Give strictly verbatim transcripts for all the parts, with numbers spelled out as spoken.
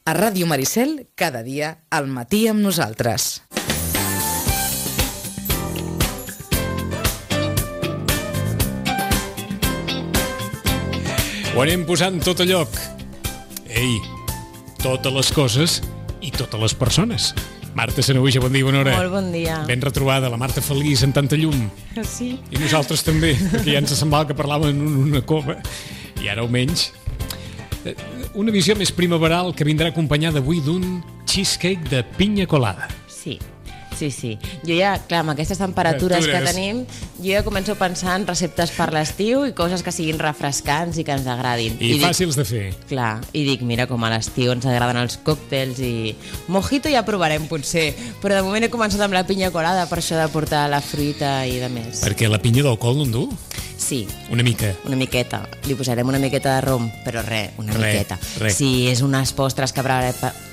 A Ràdio Maricel, cada dia, al matí amb nosaltres. Ho anem posant tot a lloc. Ei, totes les coses i totes les persones. Marta Sanahuja, bon dia, bona hora. Molt bon dia. Ben retrobada, la Marta feliç en tanta llum. Sí. I nosaltres també, perquè ja ens semblava que parlàvem en una cova. I ara almenys. Una visió més primaveral que vindrà acompanyada avui d'un cheesecake de pinya colada. Sí. Sí, sí. Jo ja, clar, amb aquestes temperatures que tenim, jo ja començo a pensar en receptes per l'estiu i coses que siguin refrescants i que ens agradin. I, I fàcils dic, de fer. Clar, i dic, mira, com a l'estiu ens agraden els còctels i... Mojito ja provarem, potser, però de moment he començat amb la pinya colada per això de portar la fruita i de més. Perquè la pinya d'alcohol no en du? Sí. Una mica. Una miqueta. Li posarem una miqueta de rom, però res, una re, miqueta. Re. Si és unes postres que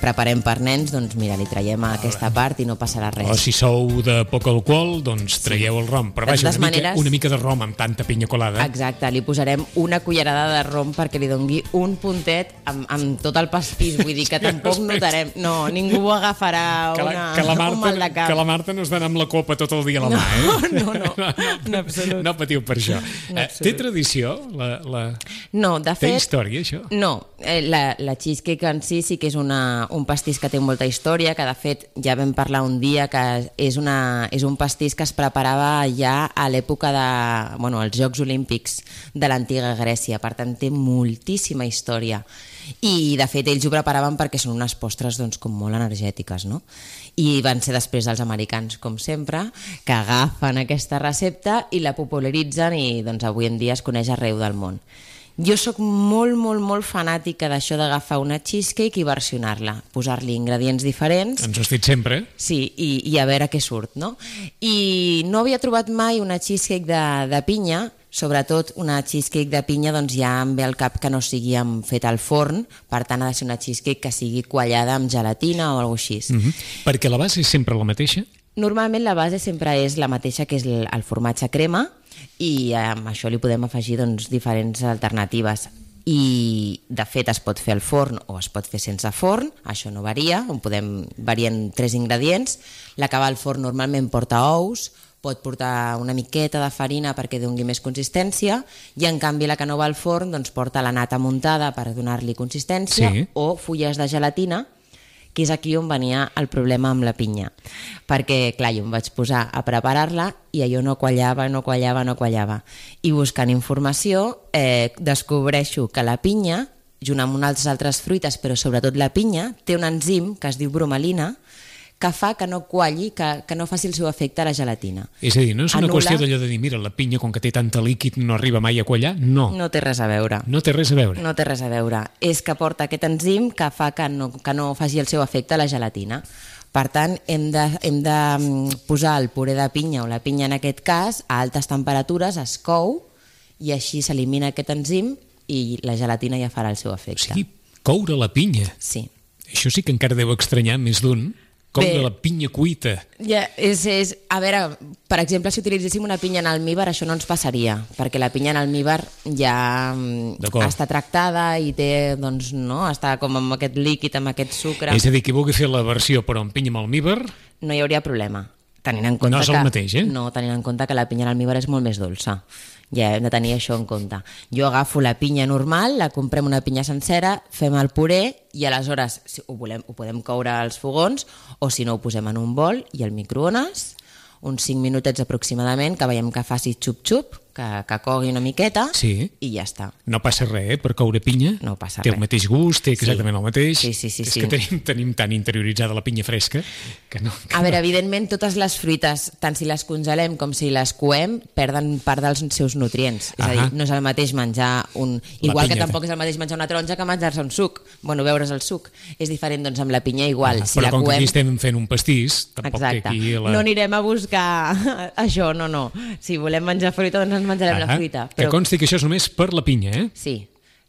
preparem per nens, doncs mira, li traiem a aquesta part i no passarà res. O si sou de poc alcohol, doncs traieu el rom. Però vaja, una, maneres... mica, una mica de rom amb tanta pinya colada. Exacte, li posarem una cullerada de rom perquè li dongui un puntet amb, amb tot el pastís. Vull dir que tampoc notarem... No, ningú agafarà que la, una, que la Marta, un mal de cap. Que la Marta no es dona amb la copa tot el dia a la no, mà, eh? No, no, no, en absolut. No patiu per això. Eh, té tradició? La, la... No, de fet... Té història, això? No, eh, la, la cheesecake en si sí que és una, un pastís que té molta història, que de fet ja vam parlar un dia que és, una, és un pastís que es preparava ja a l'època de, bueno, els Jocs Olímpics de l'antiga Grècia, per tant té moltíssima història. I de fet ells ho preparaven perquè són unes postres doncs, com molt energètiques, no? I van ser després dels americans, com sempre, que agafen aquesta recepta i la popularitzen i doncs, avui en dia es coneix arreu del món. Jo sóc molt, molt, molt fanàtica d'això d'agafar una cheesecake i versionar-la, posar-li ingredients diferents. Ens ho has dit sempre. Sí, i, i a veure què surt, no? I no havia trobat mai una cheesecake de, de pinya, sobretot una cheesecake de pinya doncs ja em ve al cap que no sigui fet al forn, per tant ha de ser una cheesecake que sigui quallada amb gelatina o alguna cosa així. Mm-hmm. Perquè la base és sempre la mateixa? Normalment la base sempre és la mateixa, que és el, el formatge crema, i amb això li podem afegir doncs, diferents alternatives. I de fet es pot fer al forn o es pot fer sense forn, això no varia, on podem variar tres ingredients. La que va al forn normalment porta ous, pot portar una miqueta de farina perquè doni més consistència, i en canvi la que no va al forn doncs, porta la nata muntada per donar-li consistència, sí, o fulles de gelatina, que és aquí on venia el problema amb la pinya. Perquè, clar, jo em vaig posar a preparar-la i allò no quallava, no quallava, no quallava. I buscant informació eh, descobreixo que la pinya, junt amb unes altres fruites, però sobretot la pinya, té un enzim que es diu bromelina, que fa que no qualli, que, que no faci el seu efecte a la gelatina. És a dir, no és una Anula... qüestió d'allò de dir, mira, la pinya, com que té tanta líquid, no arriba mai a quallar? No. No té res a veure. No té res a veure. No té res a veure. És que porta aquest enzim que fa que no, que no faci el seu efecte a la gelatina. Per tant, hem de, hem de posar el puré de pinya, o la pinya en aquest cas, a altes temperatures, es cou, i així s'elimina aquest enzim i la gelatina ja farà el seu efecte. O sigui, coure la pinya. Sí. Això sí que encara deu estranyar més d'un. Com Bé, de la pinya cuita. Ja, és, és, a veure, per exemple, si utilitzéssim una pinya en almíbar, això no ens passaria, perquè la pinya en almíbar ja està tractada i té, doncs, no, està com amb aquest líquid, amb aquest sucre. És a dir, qui vulgui fer la versió però amb pinya amb almíbar... No hi hauria problema. Tenint en compte no és el que, mateix, eh? No, tenint en compte que la pinya en almíbar és molt més dolça. Ja hem de tenir això en compte. Jo agafo la pinya normal, la comprem una pinya sencera, fem el puré i aleshores si ho, volem, ho podem coure als fogons, o si no ho posem en un bol i al microones, uns cinc minutets aproximadament, que veiem que faci xup-xup, que, que cogui una miqueta, sí, i ja està. No passa res, eh, per coure pinya? No passa té res. Té el mateix gust, té exactament sí. el mateix. Sí, sí, sí. És sí. que tenim, tenim tan interioritzada la pinya fresca que no... Que a veure, no. evidentment, totes les fruites, tant si les congelem com si les coem, perden part dels seus nutrients. És a dir, no és el mateix menjar un... Igual que tampoc és el mateix menjar una taronja que menjar-se un suc. Bueno, beure's el suc. És diferent, doncs, amb la pinya igual. Ah, si però la com coem... que aquí estem fent un pastís, tampoc exacte. té aquí la... No anirem a buscar això, no, no. Si volem menjar fruita, doncs ens menjarem ah, la fruita. Però... Que consti que això és només per la pinya, eh? Sí.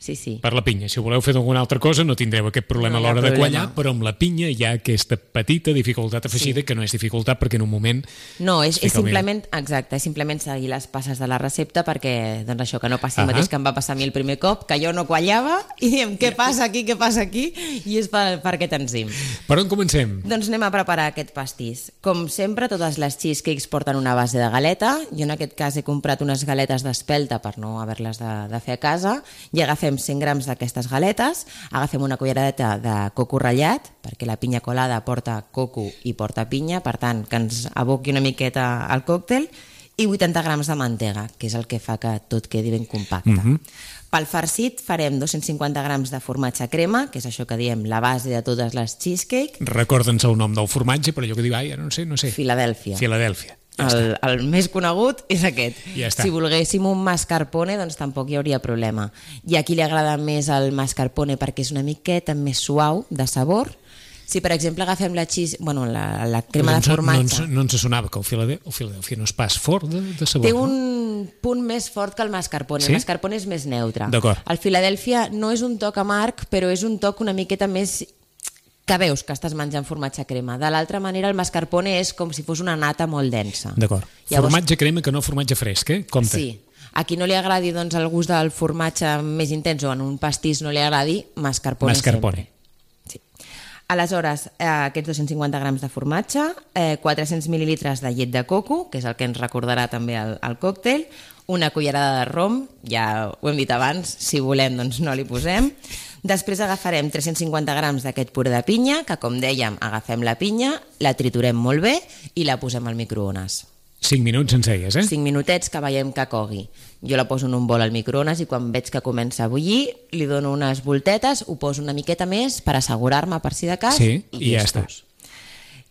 sí, sí. Per la pinya. Si ho voleu fer d'alguna altra cosa no tindreu aquest problema No hi a ha l'hora de problema. quallar, però amb la pinya hi ha aquesta petita dificultat afegida Sí. que no és dificultat perquè en un moment... No, és, es és fica el simplement, exacte, és simplement seguir les passes de la recepta perquè, doncs això, que no passi el Ahà. mateix que em va passar a mi el primer cop, que jo no quallava i diem, què passa aquí, què passa aquí? I és per, per aquest enzim. Per on comencem? Doncs anem a preparar aquest pastís. Com sempre, totes les cheesecakes porten una base de galeta. Jo en aquest cas he comprat unes galetes d'espelta per no haver-les de, de fer a casa i agafem cent grams d'aquestes galetes, agafem una culleradeta de coco ratllat, perquè la pinya colada porta coco i porta pinya, per tant, que ens aboqui una miqueta al còctel, i vuitanta grams de mantega, que és el que fa que tot quedi ben compacte. Mhm. Pel farcit farem dos-cents cinquanta grams de formatge crema, que és això que diem la base de totes les cheesecake, Recorda'ns el nom del formatge, per allò que diu, ai, ara no sé, no sé. Filadèlfia. Filadèlfia. Ja El, està. el més conegut és aquest. Ja està. Si volguéssim un mascarpone, doncs tampoc hi hauria problema. I a qui li agrada més el mascarpone perquè és una miqueta més suau de sabor. Si, per exemple, agafem la, cheese, bueno, la, la crema no de ens, formatge... No ens, no ens sonava que el Filadèlfia, el Filadèlfia no és pas fort de, de sabor. Té no? un punt més fort que el mascarpone. Sí? El mascarpone és més neutre. D'acord. El Filadèlfia no és un toc amarg, però és un toc una miqueta més que veus que estàs menjant formatge crema. De l'altra manera, el mascarpone és com si fos una nata molt densa. D'acord. Llavors- Formatge crema que no formatge fresc, eh? Compte. Sí. A qui no li agradi doncs, el gust del formatge més intens o en un pastís no li agradi, mascarpone, Mascarpone. sempre. Sí. Aleshores, eh, aquests dos-cents cinquanta grams de formatge, eh, quatre-cents mil·lilitres de llet de coco, que és el que ens recordarà també el, el còctel, una cullerada de rom, ja ho hem dit abans, si volem doncs no li posem. Després agafarem tres-cents cinquanta grams d'aquest puré de pinya, que com dèiem, agafem la pinya, la triturem molt bé i la posem al microones. Cinc minuts ens deies, eh? Cinc minutets que veiem que cogui. Jo la poso en un bol al microones i quan veig que comença a bullir, li dono unes voltetes, ho poso una miqueta més per assegurar-me per si de cas Sí, i, i ja llestos.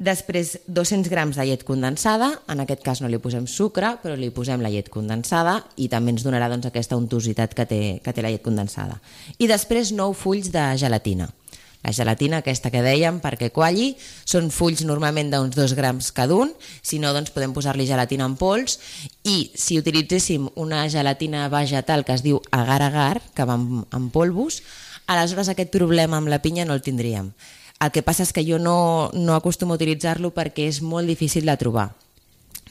Després, dos-cents grams de llet condensada, en aquest cas no li posem sucre, però li posem la llet condensada i també ens donarà doncs, aquesta untositat que té, que té la llet condensada. I després, nou fulls de gelatina. La gelatina aquesta que dèiem perquè qualli, són fulls normalment d'uns dos grams cada un, si no doncs podem posar-li gelatina en pols i si utilitzéssim una gelatina vegetal que es diu agar-agar, que va en, en polvos, aleshores aquest problema amb la pinya no el tindríem. El que passa és que jo no, no acostumo a utilitzar-lo perquè és molt difícil de trobar.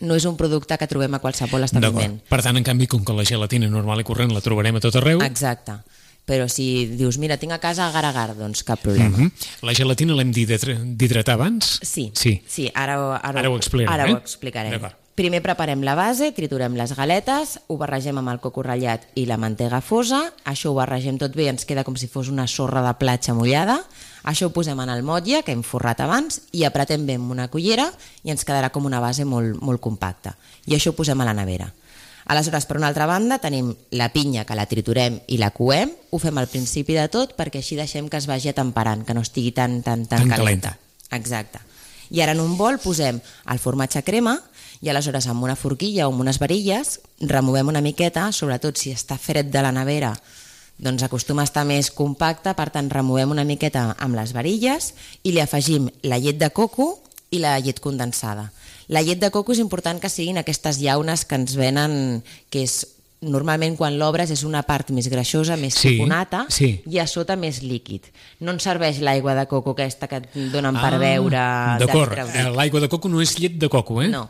No és un producte que trobem a qualsevol establiment. Per tant, en canvi, com que la gelatina normal i corrent la trobarem a tot arreu... Exacte. Però si dius, mira, tinc a casa agar-agar, doncs cap problema. Mm -hmm. La gelatina l'hem d'hidratar abans? Sí, sí. sí ara, ara, Ara ho explicarem, Ara eh? ho explicarem. D'acord. Primer preparem la base, triturem les galetes, ho barregem amb el coco ratllat i la mantega fosa, això ho barregem tot bé, ens queda com si fos una sorra de platja mullada, això ho posem en el motlle, que hem forrat abans, i apretem bé amb una cullera i ens quedarà com una base molt, molt compacta. I això ho posem a la nevera. Aleshores, per una altra banda, tenim la pinya que la triturem i la coem, ho fem al principi de tot perquè així deixem que es vagi atemperant, que no estigui tan, tan, tan, Tan calenta. calenta. Exacte. I ara en un bol posem el formatge crema i aleshores amb una forquilla o amb unes varilles removem una miqueta, sobretot si està fred de la nevera, doncs acostuma a estar més compacte, per tant removem una miqueta amb les varilles i li afegim la llet de coco i la llet condensada. La llet de coco és important que siguin aquestes llaunes que ens venen, que és normalment quan l'obres és una part més greixosa, més Sí, tipus nata, sí. i a sota més líquid. No ens serveix l'aigua de coco aquesta que et donen per Ah, beure... D'acord, de- Eh, l'aigua de coco no és llet de coco, eh? No.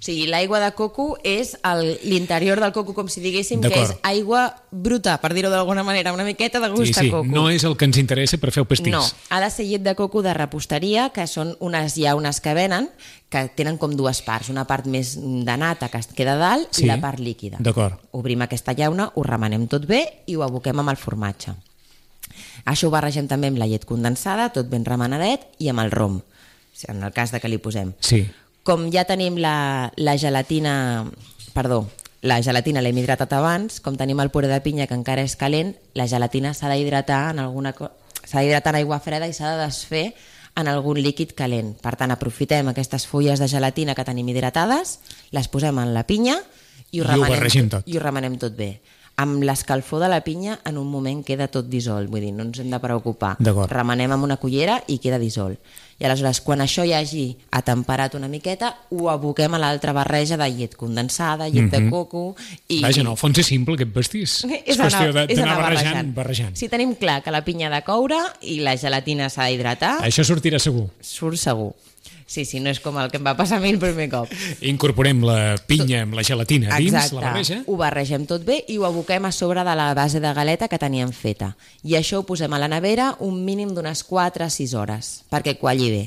O sigui, l'aigua de coco és el- l'interior del coco, com si diguéssim que és D'acord. aigua bruta, per dir-ho d'alguna manera, una miqueta de gust Sí, sí, a coco. no és el que ens interessa per fer el pastís. No, ha de ser llet de coco de reposteria, que són unes llaunes que venen, que tenen com dues parts, una part més de nata que es queda a dalt Sí, i la part líquida. d'acord. Obrim aquesta llauna, ho remenem tot bé i ho aboquem amb el formatge. Això ho barregem també amb la llet condensada, tot ben remenadet, i amb el rom, en el cas de que li posem. Sí. Com ja tenim la, la gelatina, perdó, la gelatina l'hem hidratat abans, com tenim el puré de pinya que encara és calent, la gelatina s'ha d'hidratar en alguna co- s'ha d'hidratar en aigua freda i s'ha de desfer en algun líquid calent. Per tant, aprofitem aquestes fulles de gelatina que tenim hidratades, les posem en la pinya i ho, I ho remenem, barregem tot. i ho remenem tot bé. Amb l'escalfor de la pinya en un moment queda tot dissolt, vull dir, no ens hem de preocupar. D'acord. Remenem amb una cullera i queda dissolt. I aleshores, quan això ja hagi atemperat una miqueta, ho aboquem a l'altra barreja de llet condensada, llet mm-hmm. de coco... I... Vaja, en el fons és simple aquest pastís. És, és qüestió d'anar barrejant, barrejant. barrejant. Si tenim clar que la pinya ha de coure i la gelatina s'ha d'hidratar... Això sortirà segur. Surt segur. Sí, sí, no és com el que em va passar a mi el primer cop. Incorporem la pinya amb la gelatina dins Exacte. La barreja. Ho barregem tot bé i ho aboquem a sobre de la base de galeta que teníem feta. I això ho posem a la nevera un mínim d'unes quatre a sis hores, perquè qualli bé.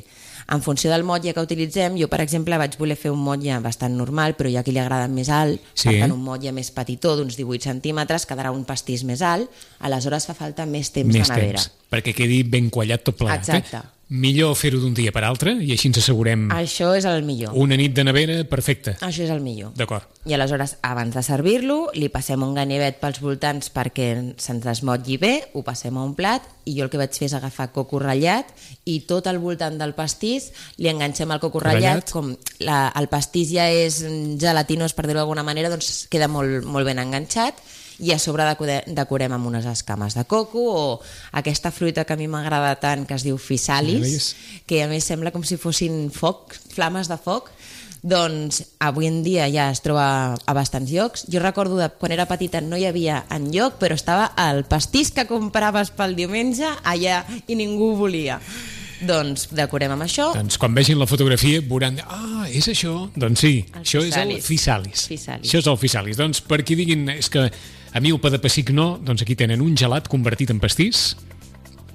En funció del motlle que utilitzem, jo, per exemple, vaig voler fer un motlle bastant normal, però hi ha qui li agrada més alt, sí. Per tant, un motlle més petitó, d'uns divuit centímetres, quedarà un pastís més alt, aleshores fa falta més temps més de nevera. Temps, perquè quedi ben quallat tot plegat. Exacte. Eh? Millor fer-ho d'un dia per altre i així ens assegurem... Això és el millor. Una nit de nevera perfecta. Això és el millor. D'acord. I aleshores, abans de servir-lo, li passem un ganivet pels voltants perquè se'ns desmotlli bé, ho passem a un plat i jo el que vaig fer és agafar coco ratllat i tot al voltant del pastís li enganxem el coco ratllat. Com la, el pastís ja és gelatinós, per dir-ho d'alguna manera, doncs queda molt, molt ben enganxat. I a sobre decorem amb unes escames de coco o aquesta fruita que a mi m'agrada tant que es diu physalis, que a més sembla com si fossin foc, flames de foc. Doncs avui en dia ja es troba a bastants llocs. Jo recordo de quan era petita no hi havia enlloc, però estava el pastís que compraves pel diumenge allà i ningú ho volia. Doncs decorem amb això. Doncs quan vegin la fotografia veuran, ah, és això? Doncs sí, el això physalis. És el physalis. physalis. Això és el physalis. Doncs per qui diguin, és que a mi el pa de pessic no, doncs aquí tenen un gelat convertit en pastís,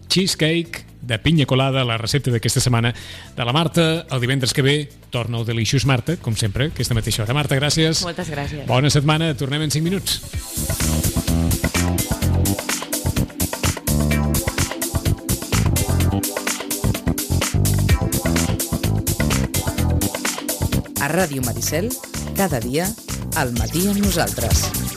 cheesecake de pinya colada, la recepta d'aquesta setmana de la Marta. El divendres que ve torna el Delicious Marta, com sempre, aquesta mateixa hora. Marta, gràcies. Moltes gràcies. Bona setmana, tornem en cinc minuts. A Ràdio Maricel, cada dia, al matí amb nosaltres.